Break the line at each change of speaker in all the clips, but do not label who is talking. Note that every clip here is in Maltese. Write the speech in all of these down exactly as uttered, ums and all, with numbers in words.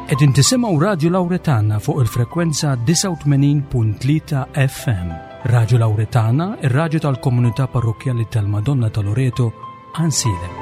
Qegħdin tisimgħu Radio Lauretana fuq il-frekwenza disgħa u tmenin punt tlieta F M. Radio Lauretana, ir-radju tal-komunità parrokkjali tal-Madonna ta' Loreto, Għajnsielem.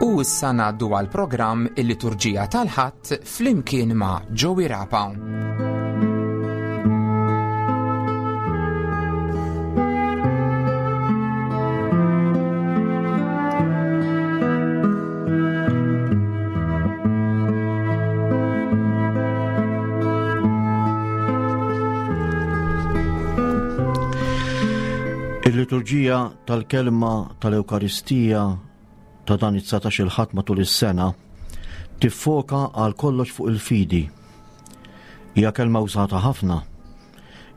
U issa ngħaddu għal programm il-Liturġija tal-Ħadd flimkien ma' Joey Rapa.
Il-liturġija tal-kelma tal-Ewkaristija ta' dan it-dsatax-il Ħadd matul is-sena tiffoka għal kollox fuq il-fidi. Hija kelma użata ħafna.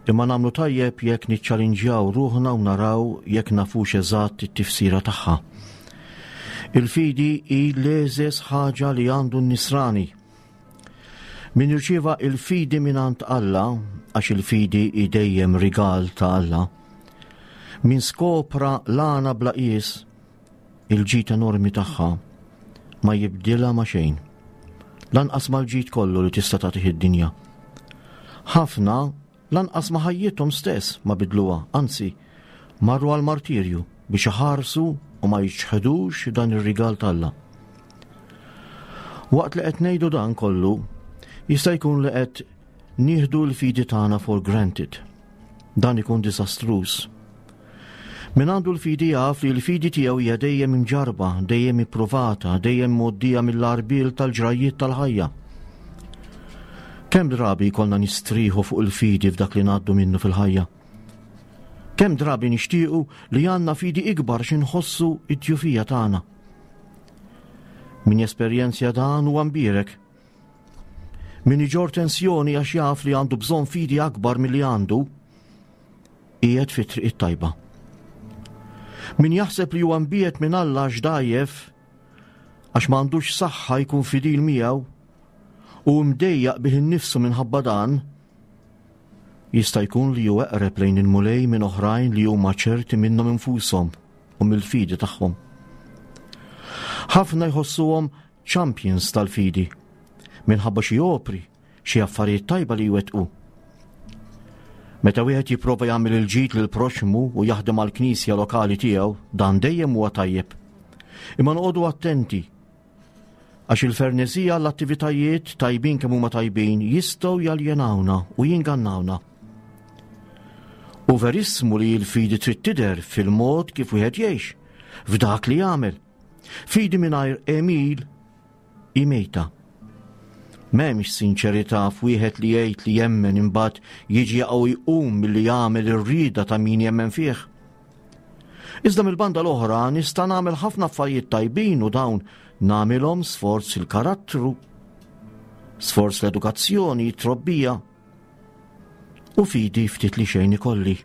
Imma nagħmlu tajjeb jekk niċċalinġjaw ruħna u naraw jekk nafux eżatt it-tifsira tagħha. Il-fidi hi l-eżeż ħaġa li għandu n-nisrani. Min jirċieva il-fidi mingħand Alla, għax il-fidi hi dejjem rigal ta' Alla, min skopra l-għana bla qies, il-ġid enormi tagħha, ma jibdilha ma xejn. Lanqas mal-ġid kollu li tista' tagħtih id-dinja. Ħafna lanqas ma ħajjithom stess ma bidluha, anzi, marru għal martirju biex iħarsu u ma jiċħedux dan ir-rigal t'Alla. Waqt li qed ngħidu dan kollu, jista' jkun li qed nieħdu l-fidi tagħna for granted. Dan ikun diżastruż. Min għandu l-fidi jaf li l-fidi tiegħu hija dejjem imġarba, dejjem ippruvata, dejjem mgħoddija mill-għarbiel tal-ġrajiet tal-ħajja. Kemm drabi jkollna nistrieħu fuq il-fidi f'dak li ngħaddu minnu fil-ħajja? Kemm drabi nixtiequ li għandna fidi ikbar x'inħossu id-djufija tagħna? Min jesperjenzja dan huwa mbierek. Min iġorr tensjoni għax jaf li għandu bżonn fidi akbar milli għandu, qiegħed fit-triq it-tajba. Min jaħseb li huwa mbiegħed minn Alla għax dgħajjef, għax m'għandux saħħa jkun fidil miegħu, u mdejjaq bih innifsu minħabba dan, jista' jkun li hu eqreb lejn il-Mulej minn oħrajn li huma ċerti minnhom infushom u mill-fidi tagħhom. Ħafna jħossuhom champions tal-fidi minħabba xi opri, xi affarijiet tajba li jwettqu. Meta wieħed jipprova jagħmel il-ġid lil proxmu u jaħdem għall-knisja lokali tiegħu, dan dejjem huwa tajjeb. Imma noqogħdu attenti għax il-ferneżija l-attivitajiet tajbin kemm huma tajbin jistgħu jaljenawna u jingannawna. U verissmu li l-fidi trid tidher fil-mod kif wieħed jgħix, f'dak li jagħmel. Fidi mingħajr għemil hi mejta. M'hemmx sinċerità f'wieħed li jgħid li jemmen imbagħad jiġi jaqgħu jqum milli jagħmel ir-rieda ta' min jemmen fih. Iżda mill-banda l-oħra nista' nagħmel ħafna affarijiet tajbin u dawn nagħmilhom sforz il-karattru, sforz l-edukazzjoni, trobbija u fidi ftit li xejn ikolli.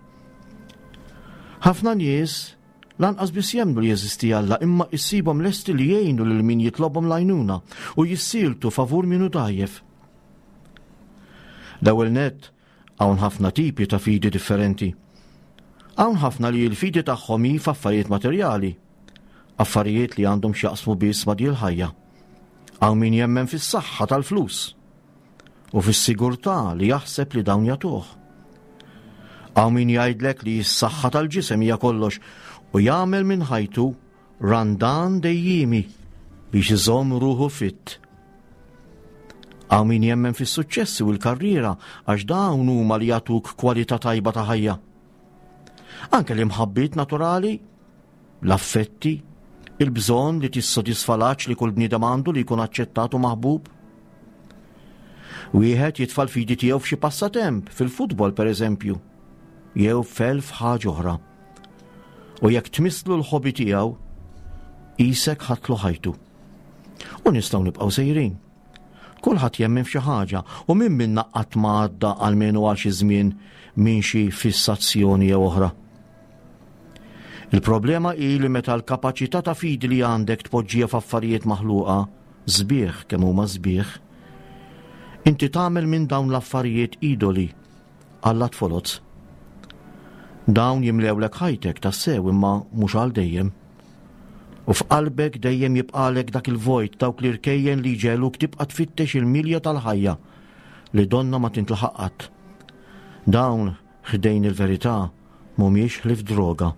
Ħafna nies lanqas biss jemmnu li jeżisti Alla, imma issibhom lesti li jgħinu lil min jitlobhom l-għajnuna u jissieltu favur min hu dgħajjef. L-ewwel nett hawn ħafna tipi ta' fidi differenti. Hawn ħafna li l-fidi tagħhom hi f'affarijiet materjali, affarijiet li għandhom x'jaqsmu biss ma' din il-ħajja. Hawn min jemmen fis-saħħa tal-flus u fis-sigurtà li jaħseb li dawn jagħtuh. Hawn min jgħidlek li s-saħħa tal-ġisem hija kollox u jagħmel minn ħajtu randan dejjimi biex iżomm ruħu fit. Hawn min jemmen fis-suċċessi u l-karriera għax dawn huma li jagħtuk kwalità tajba ta' ħajja. Anke l-imħabbiet naturali, l-affetti, il-bżonn li tissodisfa l-għatx li kull bniedem għandu li jkun aċċettat u maħbub. Wieħed jitfa' l-fidi tiegħu f'xi passatemp, fil-futbol pereżempju, jew f'elf ħaġa oħra. U jekk tmisslu l-hobby tiegħu, isek ħadtlu ħajtu. U nistgħu nibqgħu sejrin. Kulħadd jemmen f'xi ħaġa u min minna qatt ma għadda almenu għal xi żmien minn xi fissazzjoni jew oħra. Il-problema hi li meta l-kapaċità ta' fidi li għandek tpoġġija f'affarijiet maħluqa, sbieħ kemm huma sbieħ, inti tagħmel minn dawn l-affarijiet idoli, allat foloz. Dawn jimlewlek ħajtek tassew imma mhux għal dejjem. U f'qalbek dejjem jibqalek dak il-vojt, dawk l-irkejjen li jġegħluk tibqa' tfittex il-milja tal-ħajja li donna ma tintlaħaq qatt. Dawn ħdejn il-verità mhumiex ħlief droga.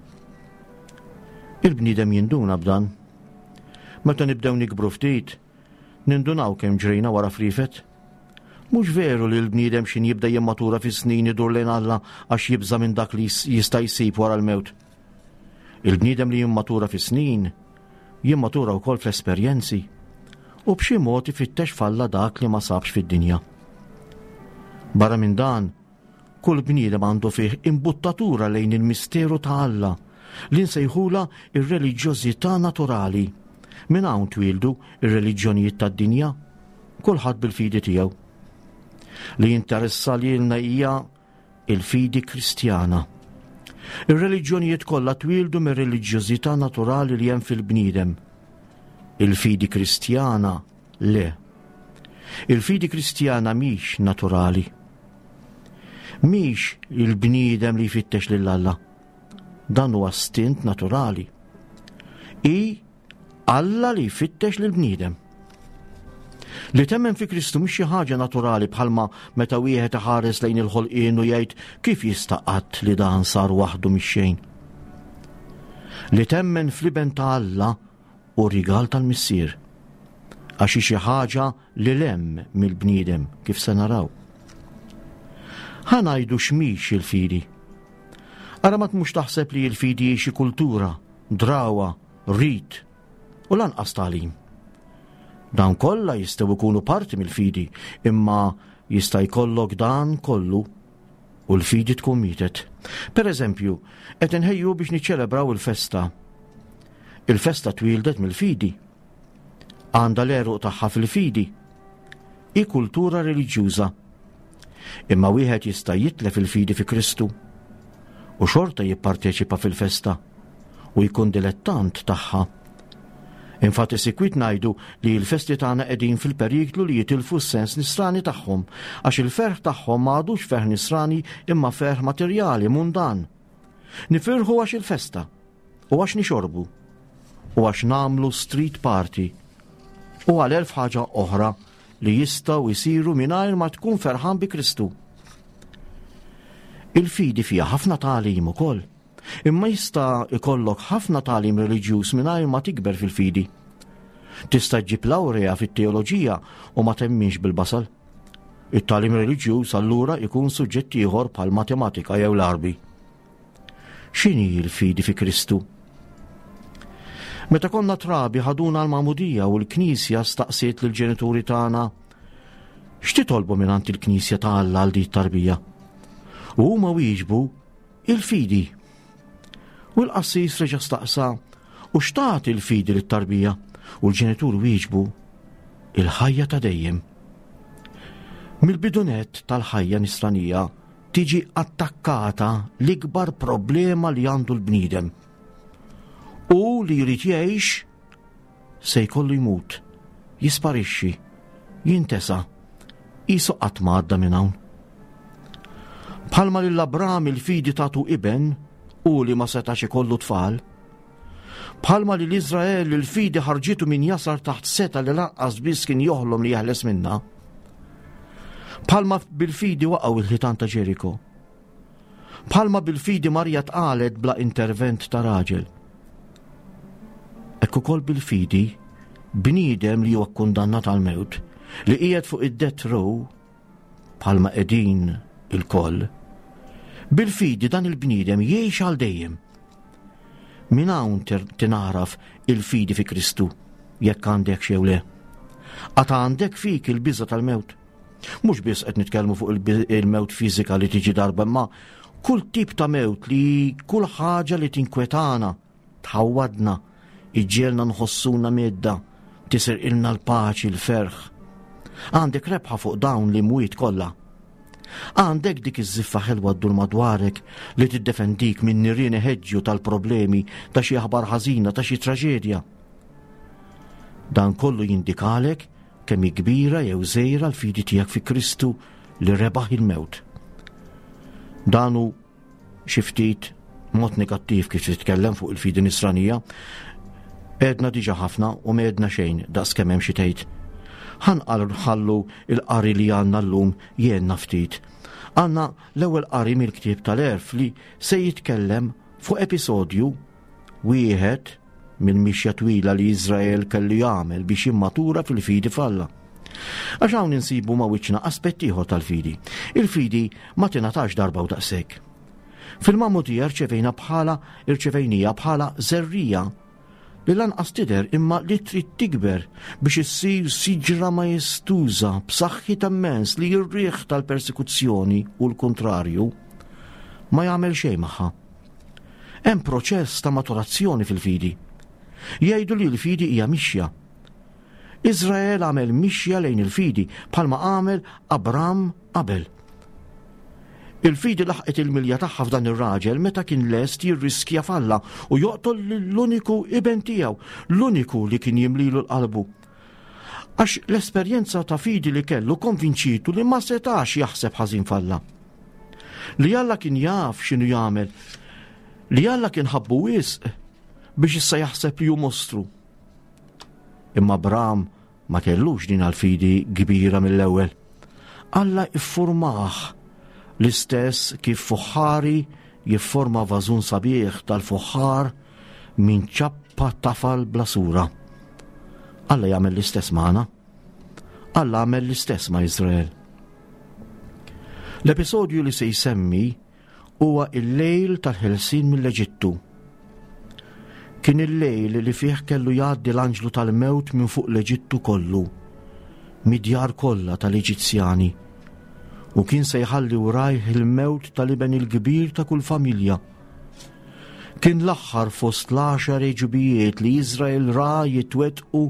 Il-bniedem jinduna b'dan. Meta nibdew nikbru ftit, nindunaw kemm ġrejna wara frifet. Mhux veru li l-bniedem xin jibda jimmatura fis-snin idur lejn Alla għax jibża' minn dak li jista' jsib wara l-mewt. Il-bniedem li jimmatura fis-snin jimmatura wkoll fl-esperjenzi u b'xi mod ifittex f'Alla dak li ma sabx fid-dinja. Barra minn dan, kull bniedem għandu fih imbuttatura lejn il-misteru ta' Alla li nsejħula ir-reliġjożità naturali. Minn hawn twieldu ir-reliġjonijiet tad-dinja, kulħadd bil-fidi tiegħu. Li jinteressa lilna hija il-fidi Kristjana. Ir-reliġjonijiet kollha twieldu mir-reliġjożità naturali li hemm fil-bniedem. Il-fidi Kristjana le. Il-fidi Kristjana mhix naturali. Mhix il-bniedem li jfittex lil Alla. Dan huwa stint naturali. I Alla li jfittex lil bniedem. Li temmen fi Kristu mhix xi ħaġa naturali bħalma meta wieħed iħares lejn il-ħolqien u jgħid kif jista' qatt li dan sar waħdu mix-xejn. Li temmen fl-iben ta' Alla u rigal tal-Missier. Għax hi xi ħaġa li lem mill-bniedem kif se naraw. Ħa ngħidu x'mhix il-fidi. Ara ma tmux taħseb li l-fidi hi xi kultura, drawa, rit u lanqas tagħlim. Dawn kollha jistgħu jkunu parti mill-fidi, imma jista' jkollok dan kollu u l-fidi tkun mietet. Per eżempju, qed inħejju biex niċċelebraw il-festa. Il-festa twieldet mill-fidi. Għandha l-għeruq tagħha fil-fidi. Hi kultura reliġjuża. Imma wieħed jista' jitlef il-fidi fi Kristu u xorta jipparteċipa fil-festa u jkun dilettant tagħha. Infatti sikwit ngħidu li l-festi tagħna qegħdin fil-periklu li jitilfu s-sens nisrani tagħhom, għax il-ferħ tagħhom ma għadux ferħ nisrani imma ferħ materjali mundan. Nifirħu għax il-festa u għax nixorbu u għax nagħmlu street party u għal elf ħaġa oħra li jistgħu jsiru mingħajr ma tkun ferħan bi Kristu. Il-fidi fiha ħafna tagħlim ukoll. Imma jista' ikollok ħafna tagħlim reliġjuż mingħajr ma tikber fil-fidi. Tista' ġġib lawrea fit-teoloġija u ma temminx bil-basal. It-tagħlim reliġjuż allura ikun suġġett ieħor bħal matematika jew l-Għarbi. X'inhi l-fidi fi Kristu? Meta konna trabi ħaduna l-magħmudija u l-Knisja staqsiet lill-ġenituri tagħna x'titolbu mingħand il-Knisja ta' Alla għal din it-tarbija? U huma wieġbu il-fidi. U l-qassis reġa' staqsa u x'tagħti l-fidi lit-tarbija? U l-ġenitur wieġbu il-ħajja ta' dejjem. Mill-bidunet tal-ħajja nisranija tiġi attakkata l-ikbar problema li għandu l-bniedem. U li jrid jgħix se jkollu jmut, jisparixxi, jintesa, qisu qatt ma għadda minn hawn. Bħalma lil Abram il-fidi tagħtu iben u li ma setax ikollu tfal, bħalma lil Iżrael il-fidi ħarġitu minn jasar taħt seta li lanqas biss kien joħlom li jeħles minnha, bħalma bil-fidi waqgħu il-ħitan ta' Ġeriko, bħalma bil-fidi Marija tqalet bla intervent ta' raġel. Hekk ukoll bil-fidi bniedem li huwa kkundannat għall-mewt, li qiegħed fuq id-death row bħalma qegħdin il-koll, bil-fidi dan il-bniedem jgħix għal dejjem. Minn hawn tingħaraf il-fidi fi Kristu, jekk għandek xew le. Għad għandek fik il-biża' tal-mewt. Mhux biss qed nitkellmu fuq il-mewt fiżika li tiġi darba, imma kull tip ta' mewt li kull ħaġa li tinkwetana, tħawwadna, iġġielna nħossuna medda, tisirqilna l-paċi, l-ferħ. Għandek rebħa fuq dawn l-imwiet kollha. Għandek dik iż-żiffa ħelwa ddur madwarek li tiddefendik minn nirien iħeġġu tal-problemi, ta' xi aħbar ħażina, ta' xi traġedja. Dan kollu jindikalek kemm hi kbira jew żgħira l-fidi tiegħek fi Kristu li rebaħ il-mewt. Dan hu xi ftit mod negattiv kif titkellem fuq il-fidi nisranija. Għedna diġà ħafna u m'għedna xejn daqs kemm hemm xi tgħid. Ħa nħallu il-qari li għandna llum jgħinna ftit. Għandna l-ewwel qari mill-ktieb tal-Għerf li se jitkellem fuq episodju wieħed mill-mixja twila li Iżrael kellu jagħmel biex jimmatura fil-fidi f'Alla. Għax hawn insibu ma' wiċċna aspett ieħor tal-fidi. Il-fidi ma tingħatax darba u daqshekk. Fil-magħmudija rċevejna bħala irċevejnija bħala żerriegħa li lanqas tidher imma li trid tikber biex issir siġra majestuża b'saħħitha immens li r-riħ tal-persekuzzjoni u l-kontrarju ma jagħmel xejn magħha. Hemm proċess ta' maturazzjoni fil-fidi. Jgħidu li l-fidi hija mixja. Iżrael għamel mixja lejn il-fidi bħalma għamel Abram qabel. Il-fidi laħqet il-milja tagħha f'dan ir-raġel meta kien lest jirriskja f'Alla u joqtol l-uniku iben tiegħu, l-uniku li kien jimlilu l-qalbu. Għax l-esperjenza ta' fidi li kellu konvinċitu li ma setax jaħseb ħażin f'Alla. Li Alla kien jaf x'inhu jagħmel, li Alla kien ħabbu wisq biex issa jaħseb li hu mostru. Imma Abram ma kellux din għal-fidi kbira mill-ewwel. Alla iffurmah l-istess kif fuħħari jifforma vażun sabiħ tal-fuħħar minn ċappa tafal bla sura. Alla jagħmel l-istess magħna. Alla għamel l-istess ma' Iżrael. L-episodju li se jsemmi huwa il-lejl tal-ħelsien mill-Eġittu. Kien il-lejl li fih kellu jgħaddi l-anġlu tal-mewt minn fuq l-Eġittu kollu, mid-djar kollha tal-Eġizzjani, u kien se jħalli wrajh il-mewt tal-iben il-kbir ta' kull familja. Kien l-aħħar fost l-għaxar għeġubijiet li Iżrael ra jitwettqu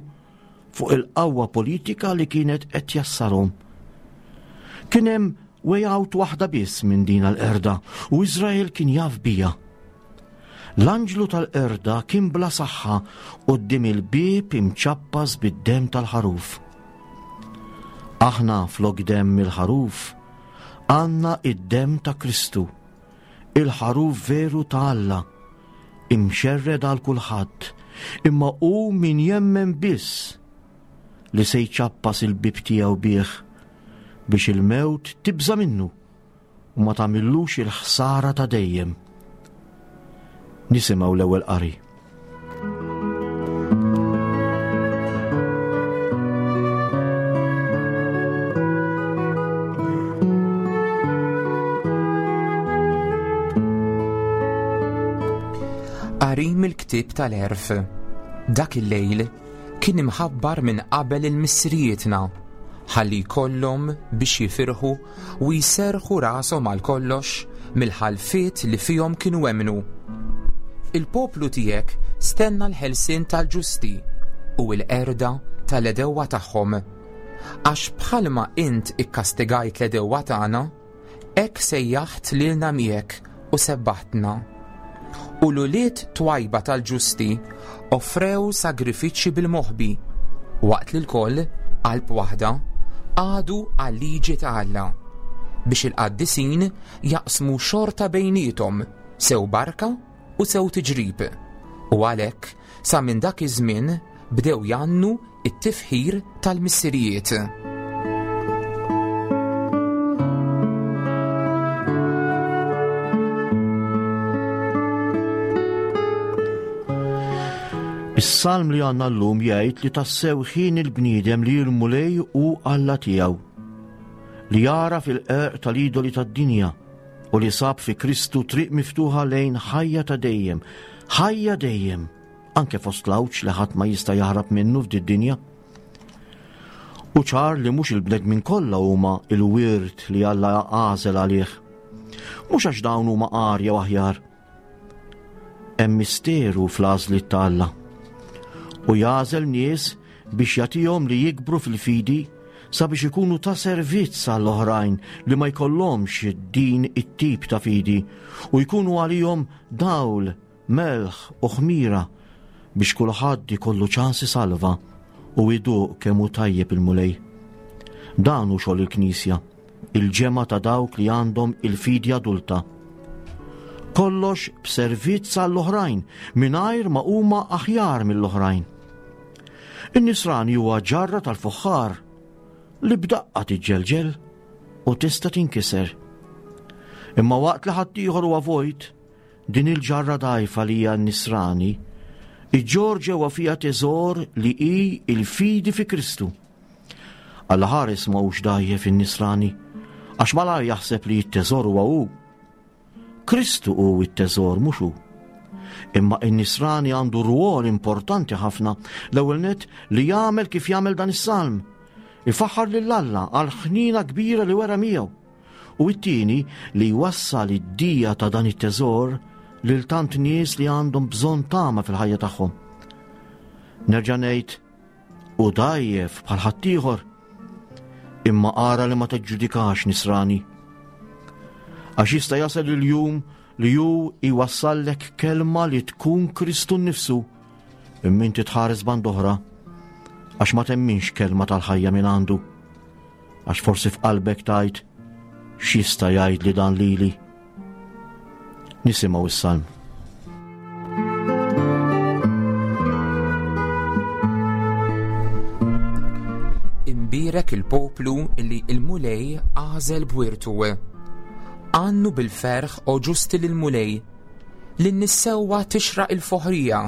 fuq il-qawwa politika li kienet qed jassarhom. Kien hemm way out waħda biss minn din l-qerda u Iżrael kien jaf bija. L-anġlu tal-qerda kien bla saħħa quddiem il-bieb imċappas bid-demm tal-ħaruf. Aħna flok demm il-ħaruf għandna id-demm ta' Kristu, il-ħaruf veru ta' Alla, imxerred għal kulħadd, imma hu min jemmen biss li se jċappas il-bieb tiegħu bih biex il-mewt tibża' minnu u ma tagħmillux il-ħsara ta' dejjem. Nisimgħu l-ewwel qari.
Qari mill-ktieb tal-Għerf. Dak il-lejl kien imħabbar minn qabel il-missirijietna, ħalli jkollhom biex jifirħu u jserrħu rashom għal kollox mill-ħalfiet li fihom kienu emmnu. Il-poplu tiegħek stenna l-ħelsien tal-ġusti u l-qerda tal-għedewwa tagħhom. Għax bħalma int ikkastigajt l-għedewwa tagħna, hekk sejjaħt lilna miegħek u sebbaħtna. U l-ulied twajba tal-ġusti offrew sagrifiċċji bil-moħbi, waqt li l-koll, qalb waħda, għadu għal-liġi ta' Alla, biex il-qaddisin jaqsmu xorta bejniethom, sew barka u sew tiġrib. U għalhekk sa minn dak iż-żmien bdew jgħannu it-tifħir tal-missirijiet.
Is-salm li għandna llum jgħid li tassew ħin il-bniedem li l-Mulej hu Alla tiegħu, li jara fil-qerq tal-idoli tad-dinja u li sab fi Kristu triq miftuħa lejn ħajja ta' dejjem, ħajja dejjem, anke fost l-għawġ li ħadd ma jista' jaħrab minnu f'did dinja. U ċar li mhux il-bnedmin kollha huma il-wirt li Alla għażel għalih. Mhux għax dawn huma agħar jew aħjar. Hemm misteru fl-għażliet ta' Alla. U jagħżel nies biex jagħtihom li jikbru fil-fidi sabiex ikunu ta' servizz għall-oħrajn li ma jkollhomx din it-tip ta' fidi u jkunu għalihom dawl, melħ u ħmira biex kulħadd ikollu ċans isalva u iduq kemm hu tajjeb il-Mulej. Dan hu xogħol il-Knisja, il-ġemgħa ta' dawk li għandhom il-fidi adulta. Kollox b'servizz għall-oħrajn mingħajr ma huma aħjar mill-oħrajn. In-nisrani huwa ġarra tal-fuħħar li b'daqqa tiġġelġel u tista' tinkiser. Imma waqt li ħaddieħor huwa vojt, din il-ġarra dgħajfa li hija n-nisrani, iġġorr ġewwa fiha teżor li hi il-fidi fi Kristu. Alla ħares ma hux dgħajjef in-nisrani, għax malajr jaħseb li t-teżor huwa hu. Kristu hu t-teżor mhux hu. Imma in-nisrani għandu rwol importanti ħafna, l-ewwel nett li jagħmel kif jagħmel dan is-salm. Ifaħħar lil Alla għal ħnina kbira li wera miegħu. U t-tieni li jwassal id-dija ta' dan it-teżor lil tant nies li għandhom bżonn tama fil-ħajja tagħhom. Nerġa' ngħid, u dgħajjef bħal ħaddieħor, imma ara li ma tiġġudikax nisrani. Għax jista' jasal il-jum li hu jwassallek kelma li tkun Kristu nnifsu, imma inti tħares band oħra, għax ma temminx kelma tal-ħajja minn għandu. Għax forsi f'qalbek tgħid, x'jista' jgħid li dan lili? Nisimgħu is-salm.
Imbierek il-poplu li il-Mulej għażel b'wirtu. Għannu bil-ferħ o ġusti lill-Mulej, li n-nissewwa tixraq il-foħrija.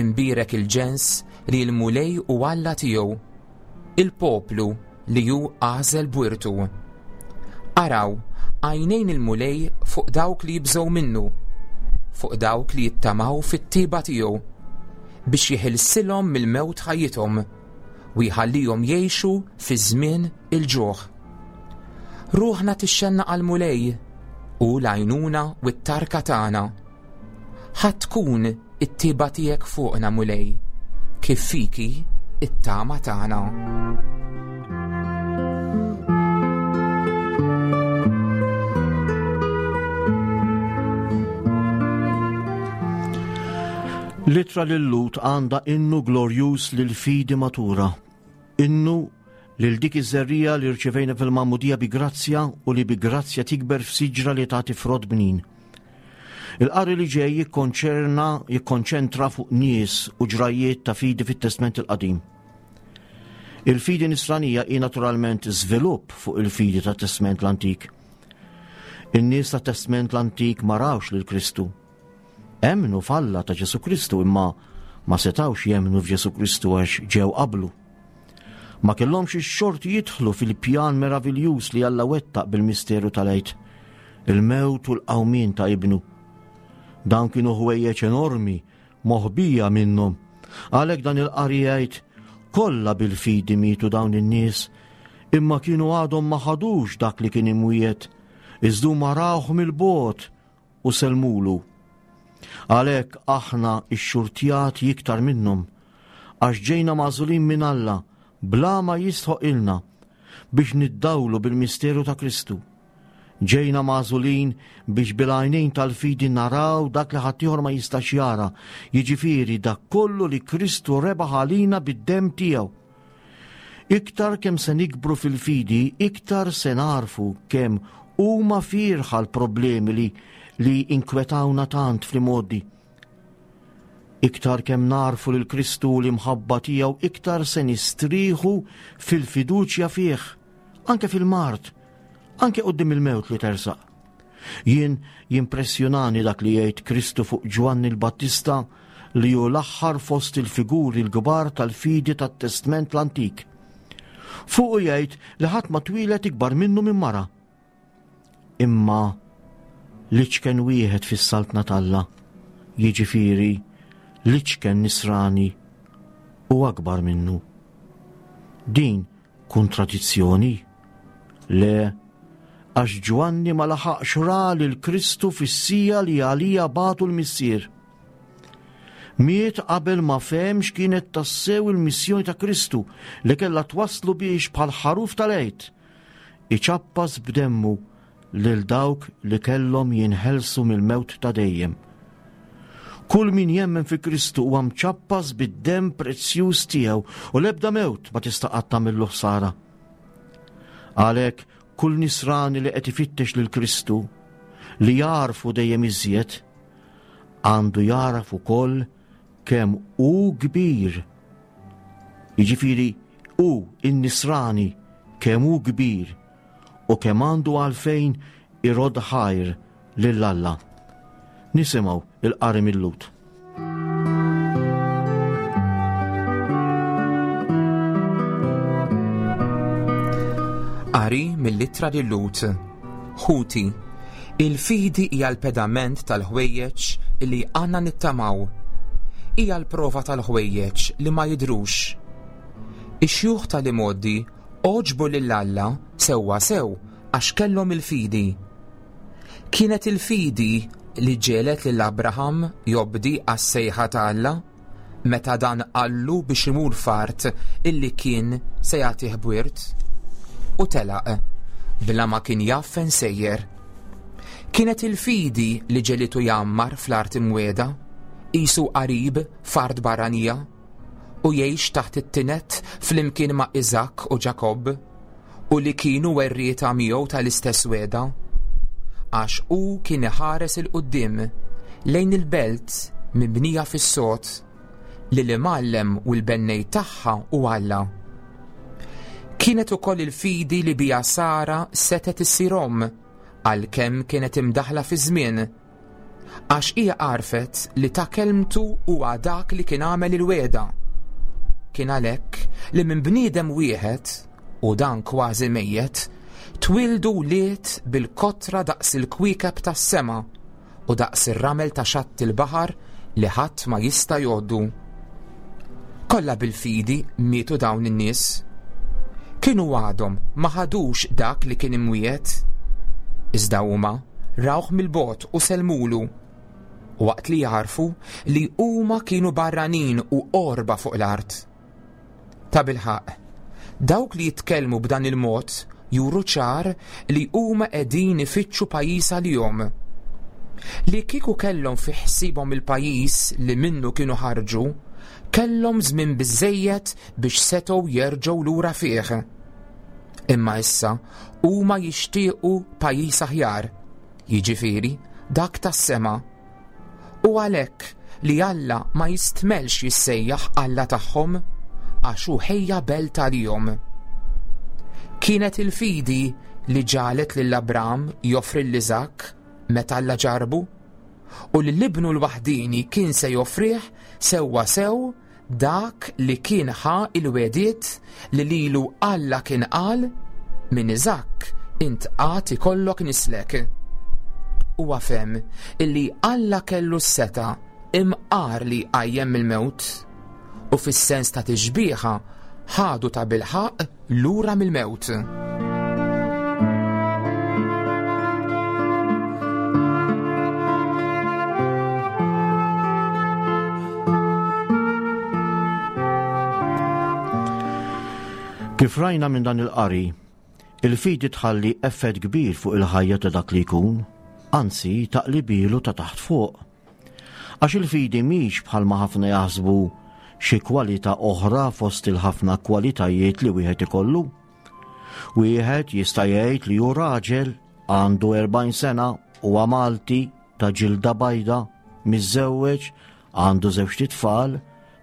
Imbierek il-ġens li l-Mulej u Alla tiegħu, il-poplu li hu għażel b'wirtu. Araw, għajnejn il-Mulej fuq dawk li jibżgħu minnu, fuq dawk li jittamaw fit-tiba tiegħu, biex jeħilsilhom mill-mewt ħajjithom u jħallihom jgħixu fi żmien il-ġuħ. Ruħna tixxenna għall-Mulej u l-għajnuna u t-tarka tagħna. Ħa tkun it-tiba tiegħek fuqna, Mulej, kif fiki it-tama tagħna.
L-ittra lil-Lhud għandha innu glorjuż lil fidi matura, innu lil dik iż-żerriegħa li rċevejna fil-magħmudija bi grazzja u li bi grazzja tikber f'siġra li tagħti frott bnin. Il-qari li ġej jikkonċerna, jikkonċentra fuq nies u ġrajiet ta' fidi fit-Testment il-Qadim. Il-fidi nisranija hi naturalment żvilupp fuq il-fidi tat Testment l-Antik. In-nies tat Testment l-Antik ma rawx lil Kristu. Emmnu f'Alla ta' Ġesu Kristu imma ma setawx jemmnu f'Ġesu Kristu għax ġew qablu. Ma kellhomx ix-xorti jidħlu fil-pjan meraviljuż li Alla wettaq bil-misteru tal-Għid, il-mewt u l-qawmien ta' ibnu. Dawn kienu ħwejjeġ enormi moħbija minnhom. Għalhekk dan il-qari jgħid, kollha bil-fidi mietu dawn in-nies, imma kienu għadhom ma ħadux dak li kien imwiegħed, iżda huma rawh mill-bogħod u selmulu. Għalhekk aħna x-xurtjati iktar minnhom, għax ġejna magħżulin minn Alla bla ma jistħoq ilna biex niddawlu bil-misteru ta' Kristu. Ġejna magħżulin biex bil-għajnejn tal-fidi naraw dak li ħaddieħor ma jistax jara, jiġifieri dak kollu li Kristu rebaħ għalina bid-demm tiegħu. Iktar kemm se nikbru fil-fidi, iktar se narfu kemm huma fierħa l-problemi li, li inkwetawna tant fl-modi. Iktar kemm narfu lil Kristu u l-imħabba tiegħu, iktar se nistrieħu fil-fiduċja fih, anke fil-mard, anke quddiem il-mewt li tersaq. Jien jimpressjonani dak li jgħid Kristu fuq Ġwanni l-Battista li hu l-aħħar fost il-figuri l-kbar tal-fidi tat-Testment l-Antik. Fuqu jgħid li ħadd ma twieled ikbar minnu minn mara. Imma l-iċken wieħed fis-saltna t'Alla, jiġifieri l-iċken nisrani, u akbar minnu. Din kontradizzjoni? Le, għax Ġwanni ma laħaqx ra lil Kristu fis-sija li għalija bagħtu l-Missier. Miet qabel ma fehem x'kienet tassew il-missjoni ta' Kristu li kellha twasslu biex bħal ħaruf tal-Għid iċappas b'demmu lil dawk li kellhom jinħelsu mill-mewt ta' dejjem. Kull min jemmen fi Kristu huwa mċappas bid-demm prezzjuż tiegħu u l-ebda mewt ma tista' qatt tagħmillu ħsara. Għalhekk kull nisrani li qed ifittex lil Kristu li jarfu dejjem iżjed għandu jaraf ukoll kemm hu kbir. Jiġifieri hu in-nisrani kemm hu kbir u kemm għandu għalfejn irodd ħajr lil Alla. Nisimgħu il-qari mil-Lhud.
Qari mill-ittra lil-Lhud. Ħuti, il-fidi hija l-pedament tal-ħwejjeġ li għandna nittamaw. Hija l-prova tal-ħwejjeġ li ma jidhrux. Ix-xjuħ tal-imgħoddi għoġbu lil Alla sewwa sew għax kellhom il-fidi. Kienet il-fidi li ġegħlet lil Abraham jobdi għas-sejħa ta' Alla meta dan qallu biex imur f'art illi kien se jagħtih b'wirt, u telaq bla ma kien jaf fejn sejjer. Kienet il-fidi li ġegħlitu jgħammar fl-art imwiegħda, qisu qarib f'art barranija, u jgħix taħt it-tinet flimkien ma' Iżakk u Ġakobb, u li kienu werrieta miegħu tal-istess wegħda, għax hu kien iħares il-quddiem lejn il-belt mibnija fis-sod li l-imgħallem u l-bennej tagħha hu Alla. Kienet ukoll il-fidi li bija Sara setet issir omm għalkemm kienet imdaħla fi żmien, għax hija għarfet li ta' kelmtu huwa dak li kien għamel il-wegħda. Kien għalhekk li minn bniedem wieħed, u dan kważi mejjet, twildu wlied bil-kotra daqs il-kwiekeb tas-sema u daqs ir-ramel ta' xatt il-baħar li ħadd ma jista' jgħoddu. Kollha bil-fidi mietu dawn in-nies. Kienu għadhom ma ħadux dak li kien imwiegħed. Iżda huma rawh mill-bogħod u selmulu, waqt li jarfu li huma kienu barranin u qorba fuq l-art. Ta' bilħaq, dawk li jitkellmu b'dan il-mod juru ċar li huma qegħdin ifittxu pajjiż għalihom. Li kieku kellhom fi ħsiebhom il-pajjiż li minnu kienu ħarġu, kellhom żmien biżżejjed biex setgħu jerġgħu lura fih. Imma issa huma jixtiequ pajjiż aħjar, jiġifieri dak tas-sema. U għalhekk li Alla ma jistmelx jissejjaħ Alla tagħhom, għax hu ħejja belt għalihom. Kienet il-fidi li ġalet lil Abram joffri lil Iżakk meta Alla ġarbu, u li l-ibnu l-waħdini kien se joffrih sewwa sew dak li kien ħa il-wegħdiet li lilu Alla kien qal, minn Iżakk int għad ikollok nislek. Huwa fehem illi Alla kellu s-seta imqar li jqajjem mill-mewt, u fis-sens ta' tixbieha ħadu ta' bilħaq lura mill-mewt.
Kif rajna minn dan il-qari, il-fidi tħalli effett kbir fuq il-ħajja ta' dak li jkun, anzi taqlibilu ta' taħt fuq. Għax il-fidi mhix bħalma ħafna jaħsbu xi kwalità oħra fost il-ħafna kwalitajiet li wieħed ikollu. Wieħed jista' jgħid li hu raġel għandu erbgħin sena, huwa Malti, ta' ġilda bajda, miżżewweġ, għandu żewġt itfal,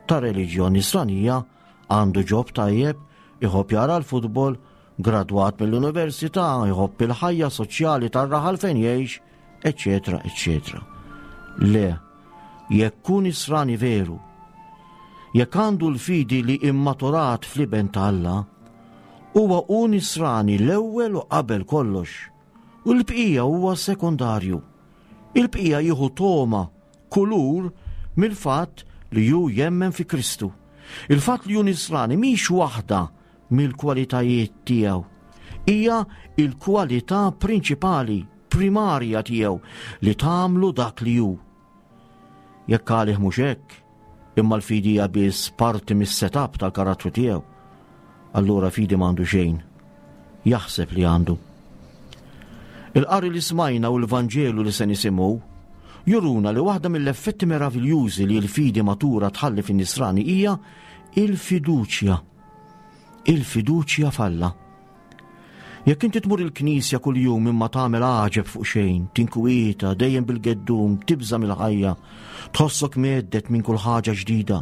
ta' reliġjon nisranija, għandu ġob tajjeb, iħobb jara l-futbol, gradwat mill-università, iħobb il-ħajja soċjali tar-raħal fejn jgħix, eċċetera, eċċetera. Le, jekk hu nisrani veru, jekk għandu l-fidi li immaturat fl-iben ta' Alla, huwa hu nisrani l-ewwel u qabel kollox, u l-bqija huwa sekondarju. Il-bqija jieħu toma, kulur mill-fatt li hu jemmen fi Kristu. Il-fatt li hu nisrani mhix waħda mill-kwalitajiet tiegħu, hija il-kwalità prinċipali, primarja tiegħu li tagħmlu dak li hu. Jekk għalih mhux hekk, Imma l-fidi hija biss parti mis-setup tal-karattru tiegħu. Allura fidi m'għandu xejn. Jaħseb li għandu. Il-qari li smajna u l-Vanġelu li se nisimgħu juruna li waħda mill-effetti meraviljużi li l-fidi matura tħalli fin-nisrani hija il-fiduċja. Il-fiduċja f'Alla. Jekk inti tmur il-knisja kuljum imma tagħmel għaġeb fuq xejn, tinkwieta, dejjem bil-geddum, tibża' mill-ħajja, tħossok meddet minn kull ħaġa ġdida.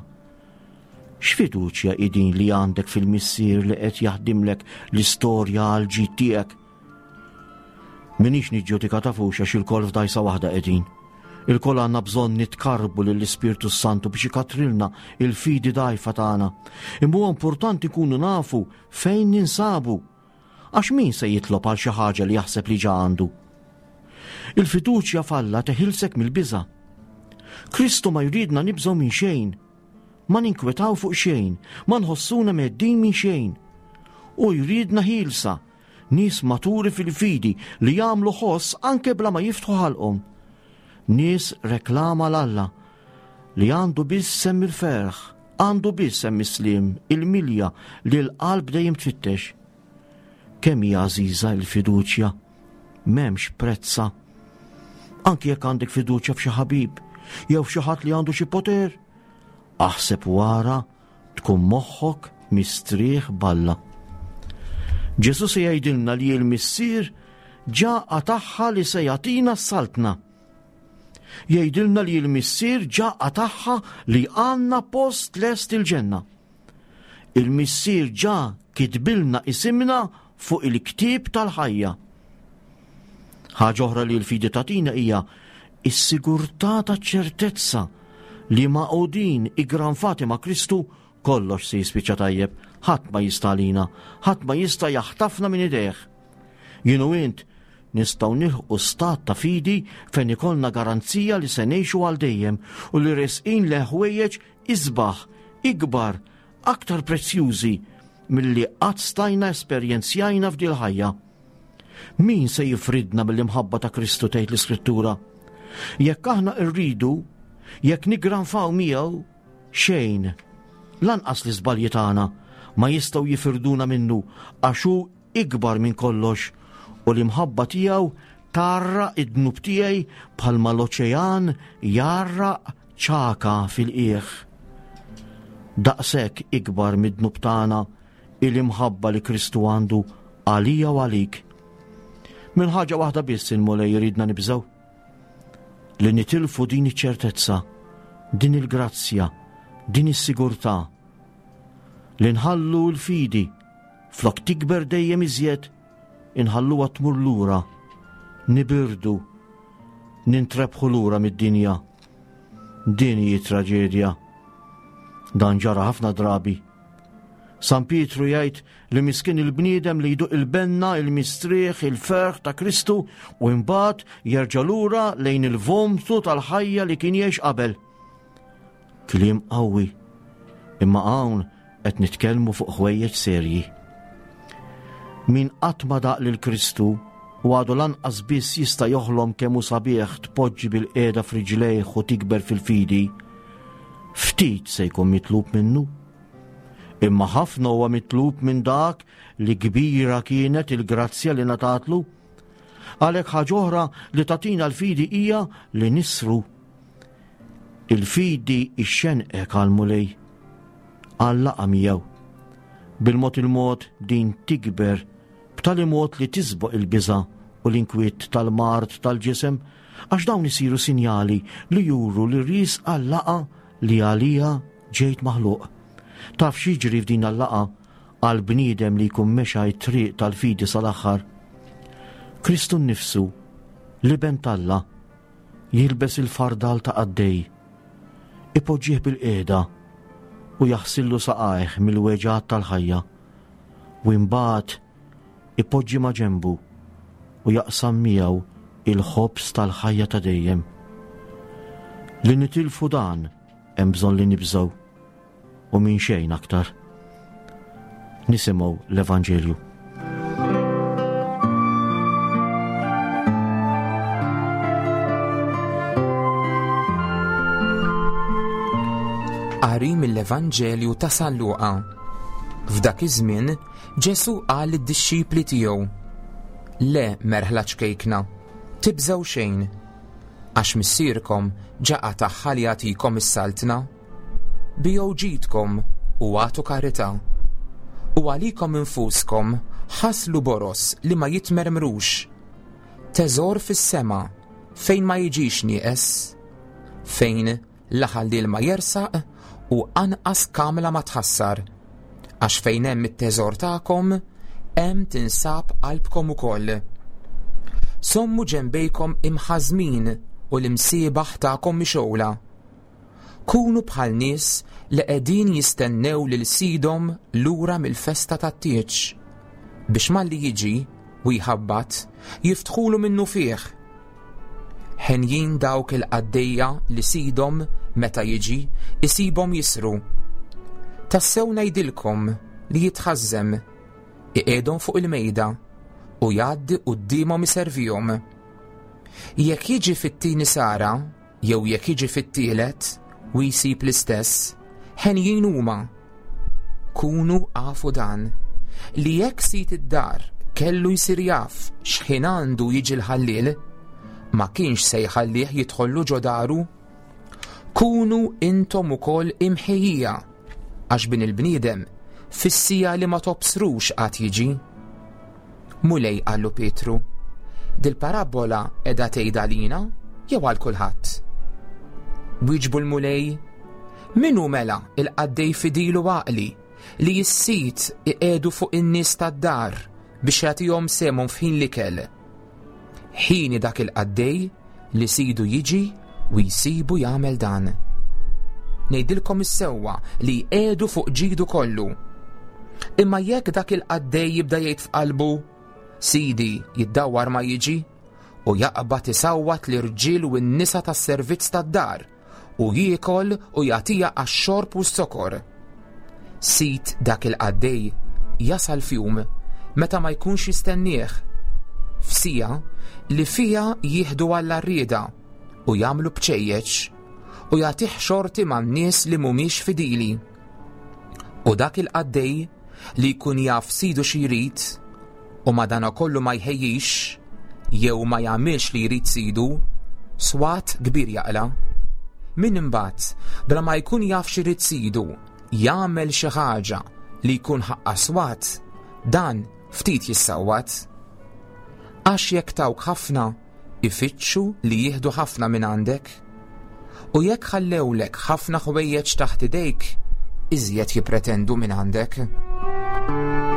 X'fiduċja hi din li għandek fil-Missier li qed jaħdimlek l-istorja għal ġid tiegħek? Minix niġġudika tafux għax ilkoll f'dajsa waħda qegħdin. Ilkoll għandna bżonn nitkarbu lill-Ispirtu Santu biex ikatrilna il-fidi dgħajfa tagħna. Imma huwa importanti nkunu nafu fejn ninsabu. Għax min se jitlob għal xi ħaġa li jaħseb li ġa għandu? Il-fiduċja f'Alla teħilsek mill-biża'. Kristu ma jridna nibżgħu minn xejn, ma ninkwetaw fuq xejn, ma nħossuna meddin minn xejn. U jridna ħielsa, nies maturi fil-fidi li jagħmlu ħoss anke bla ma jiftħu ħalqhom. Nies reklama l-Alla li għandu biss semm il-ferħ, għandu biss semm is-sliem, il-milja li l-qalb dejjem tfittex. Kemm hija għażiża l-fiduċja, m'hemmx prezza. Anki jekk għandek fiduċja f'xi ħabib jew f'xi ħadd li għandu xi poter, aħseb wara tkun moħħok mistrieħ b'Alla. Ġesu se jgħidilna li l-Missier ġa qatagħha li se jagħtina s-saltna. Jgħidilna li l-Missier ġa qatagħha li għandna post lest il-ġenna. Il-Missier ġa kitbilna isimna fuq il-ktieb tal-ħajja. Ħaġa oħra li l-fidi tagħtina hija s-sigurtà taċ-ċertezza li magħqudin iggranfati ma' Kristu kollox se jispiċċa tajjeb, ħadd ma jista' għalina, ħadd ma jista' jaħtafna minn idejh. Jien u int nistgħu nilħqu stat ta' fidi fejn ikollna garanzija li se ngħixu għal dejjem u li resqin le ħwejjeġ isbaħ, ikbar, aktar prezzjużi milli qatt stajna esperjenzjajna f'dil ħajja. Min se jifridna mill-imħabba ta' Kristu, tgħid l-Iskrittura? Jekk aħna rridu, jekk niggranfaw miegħu, xejn, lanqas l-iżbalji tagħna ma jistgħu jifirduna minnu, għax hu ikbar minn kollox u l-imħabba tiegħu tarra id-dnub tiegħi bħalma l-oċean jarraq ċaka fil-qiegħ. Daqshekk ikbar mid-dnub tagħna il-imħabba li Kristu għandu għalija u għalik. Minn ħaġa waħda biss il-Mulej jridna nibżgħu, li nitilfu din iċ-ċertezza, din il-grazzja, din is-sigurtà, li nħallu l-fidi flok tikber dejjem iżjed, inħalluha tmur lura, nibirdu, nintrebħu lura mid-dinja. Din hi traġedja. Dan ġara ħafna drabi. San Pietru jgħid li miskin il-bniedem li jduq il-benna, il-mistrieħ, il-ferħ ta' Kristu u imbagħad jerġa' lura lejn il-vomtu tal-ħajja li kien jgħix qabel. Kliem qawwi, imma hawn qed nitkellmu fuq ħwejjeġ serji. Min qatt ma daq lil Kristu u għadu lanqas biss jista' joħlom kemm hu sabiħ tpoġġi bil-qiegħda f'riġlejh u tikber fil-fidi, ftit se jkun mitlub minnu. Imma ħafna huwa mitlub minn dak li kbira kienet il-grazzja li ngħatatlu. Għalhekk ħaġa oħra li tagħtina l-fidi hija li nisru. Il-fidi ixxenqek għall-Mulej, għal-laqgħa miegħu. Bil-mod il-mod din tikber b'tali mod li tisboq il-biża' u l-inkwiet tal-mard tal-ġisem, għax dawn isiru sinjali li juru li ris għal-laqgħa li għalija ġejt maħluq. Taf x'jiġri f'din il-laqgħa għal bniedem li jkun mexa t-triq tal-fidi sal-aħħar? Kristu nnifsu, l-Iben t'Alla, jilbes il-fardal ta' qaddej, ipoġġih bil-qiegħda u jaħsillu saqajh mill-weġgħat tal-ħajja, u imbagħad ipoġġi ma' ġenbu u jaqsam miegħu il-ħobż tal-ħajja ta' dejjem. Li nitilfu dan hemm bżonn li nibżgħu u minn xejn aktar. Nisimgħu l-Evanġelju.
Mill-Evanġelju ta' San Luqa. F'dak iż-żmien Ġesù qal lid-dixxipli tiegħu: Le merħla ċkejkna, tibżgħu xejn, għax missierkom ġa qatagħha li jagħtikom is-saltna. Bigħu ġidkom u agħtu karità. U għalikom infuskom ħaslu boroż li ma jitmermrux. Teżor fis-sema fejn ma jiġix nieqes, fejn la ħalliel ma jersaq u anqas kamla ma tħassar. Għax fejn hemm it-teżor tagħkom, hemm tinsab qalbkom ukoll. Żommu ġenbejkom imħażżmin u l-imsiebaħ tagħkom mixgħula. Kunu bħal nies li qegħdin jistennew lil sidhom lura mill-festa tat-tieġ, biex malli jiġi u jħabbat, jiftħulu minnufih. Henjin dawk il-qaddejja li sidhom meta jiġi isibhom jisru. Tassew ngħidilkom li jitħażżem, iqiegħdhom fuq il-mejda u jgħaddi quddiemhom iservihom. Jekk jiġi fit-tieni sara jew jekk jiġi fit-tielet u jsib l-istess, henjin huma. Kunu afu dan, li jekk sid id-dar kellu jsir jaf x'ħin għandu jiġi l-ħalliel, ma kienx se jħallih jidħollu ġo daru. Kunu intom ukoll imħejjija, għax bin il-bniedem fis-siegħa li ma tobsrux għad jiġi. Mulej, qallu Pietru, dil-parabbola qiegħda tgħidha lina jew għal kulħadd? Wieġbu l-Mulej, min hu mela il-qaddej fidil u għaqli li s-sid iqiegħdu fuq in-nies tad-dar biex jagħtihom sehemhom f'ħin l-ikel? Hieni dak il-qaddej li sidu jiġi u jsibu jagħmel dan. Ngħidilkom is-sewwa li jqiegħdu fuq ġidu kollu. Imma jekk dak il-qaddej jibda jgħid f'qalbu, sidi jiddawwar ma jiġi, u jaqbad isawwat l-irġiel u n-nisa tas-servizz tad-dar, u jiekol u jagħtiha għax-xorb u s-sokor. Sid dak il-qaddej jasal f'jum meta ma jkunx jistennieh, f'siegħa li fiha jieħdu għall-għarrieda u jagħmlu bċejjeċ u jagħtih xorti man-nies li mhumiex fidili. U dak il-qaddej li jkun jaf sidu xi jrid u madanakollu ma jħejjix jew ma jagħmilx li jrid sidu, swat kbir jaqla'. Min imbagħad bla ma jkun jaf xi jrid sidu jagħmel xi ħaġa li jkun ħaqqa swat, dan ftit jissawwat. Għax jekk tawk ħafna, ifittxu li jieħdu ħafna minn għandek. U jekk ħallewlek ħafna ħwejjeġ taħt idejk, iżjed jippretendu minn għandek.